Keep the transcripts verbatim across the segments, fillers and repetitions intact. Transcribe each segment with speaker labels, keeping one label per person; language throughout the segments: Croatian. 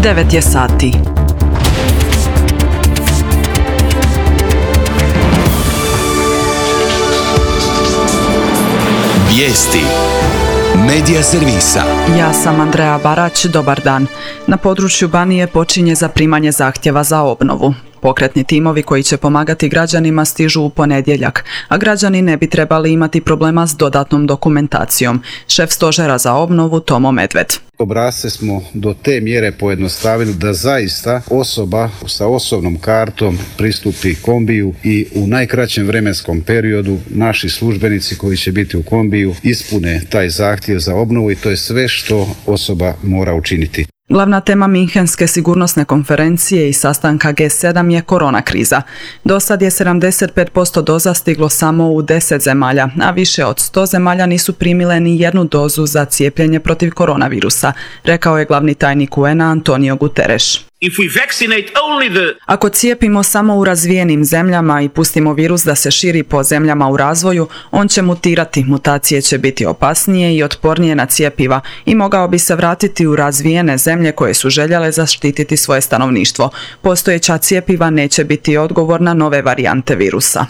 Speaker 1: devet je sati.
Speaker 2: Vijesti Medija servisa.
Speaker 1: Ja sam Andreja Barać, dobar dan. Na području Banije počinje zaprimanje zahtjeva za obnovu. Pokretni timovi koji će pomagati građanima stižu u ponedjeljak, a građani ne bi trebali imati problema s dodatnom dokumentacijom. Šef stožera za obnovu Tomo Medved.
Speaker 3: Obrasce smo do te mjere pojednostavili da zaista osoba sa osobnom kartom pristupi kombiju i u najkraćem vremenskom periodu naši službenici koji će biti u kombiju ispune taj zahtjev za obnovu i to je sve što osoba mora učiniti.
Speaker 1: Glavna tema Minhenske sigurnosne konferencije i sastanka G sedam je korona kriza. Do sad je sedamdeset pet posto doza stiglo samo u deset zemalja, a više od sto zemalja nisu primile ni jednu dozu za cijepljenje protiv koronavirusa, rekao je glavni tajnik U N A Antonio Guterres. Ako cijepimo samo u razvijenim zemljama i pustimo virus da se širi po zemljama u razvoju, on će mutirati, mutacije će biti opasnije i otpornije na cjepiva i mogao bi se vratiti u razvijene zemlje koje su željele zaštititi svoje stanovništvo. Postojeća cjepiva neće biti odgovor na nove varijante virusa.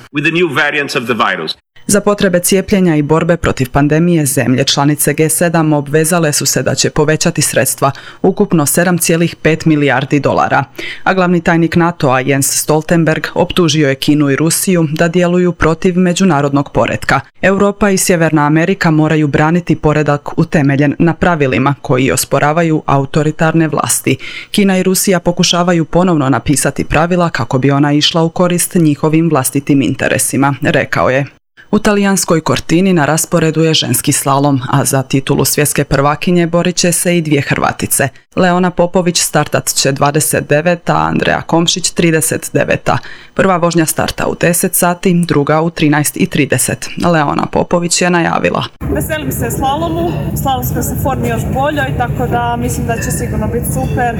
Speaker 1: Za potrebe cijepljenja i borbe protiv pandemije zemlje članice G sedam obvezale su se da će povećati sredstva, ukupno sedam zarez pet milijardi dolara. A glavni tajnik NATO-a Jens Stoltenberg optužio je Kinu i Rusiju da djeluju protiv međunarodnog poretka. Europa i Sjeverna Amerika moraju braniti poredak utemeljen na pravilima koji osporavaju autoritarne vlasti. Kina i Rusija pokušavaju ponovno napisati pravila kako bi ona išla u korist njihovim vlastitim interesima, rekao je. U talijanskoj Cortini na rasporedu je ženski slalom, a za titulu svjetske prvakinje borit će se i dvije Hrvatice. Leona Popović startat će dvadeset deveta, a Andreja Komšić trideset deveta. Prva vožnja starta u deset sati, druga u trinaest i trideset. Leona Popović je najavila:
Speaker 4: Veselim se slalomu, slalomskoj se formi još boljoj, tako da mislim da će sigurno biti super.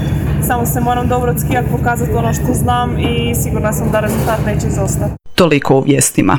Speaker 4: Samo se moram dobro od skijat, pokazati ono što znam i sigurna sam da rezultat neće izostati.
Speaker 1: Toliko u vijestima.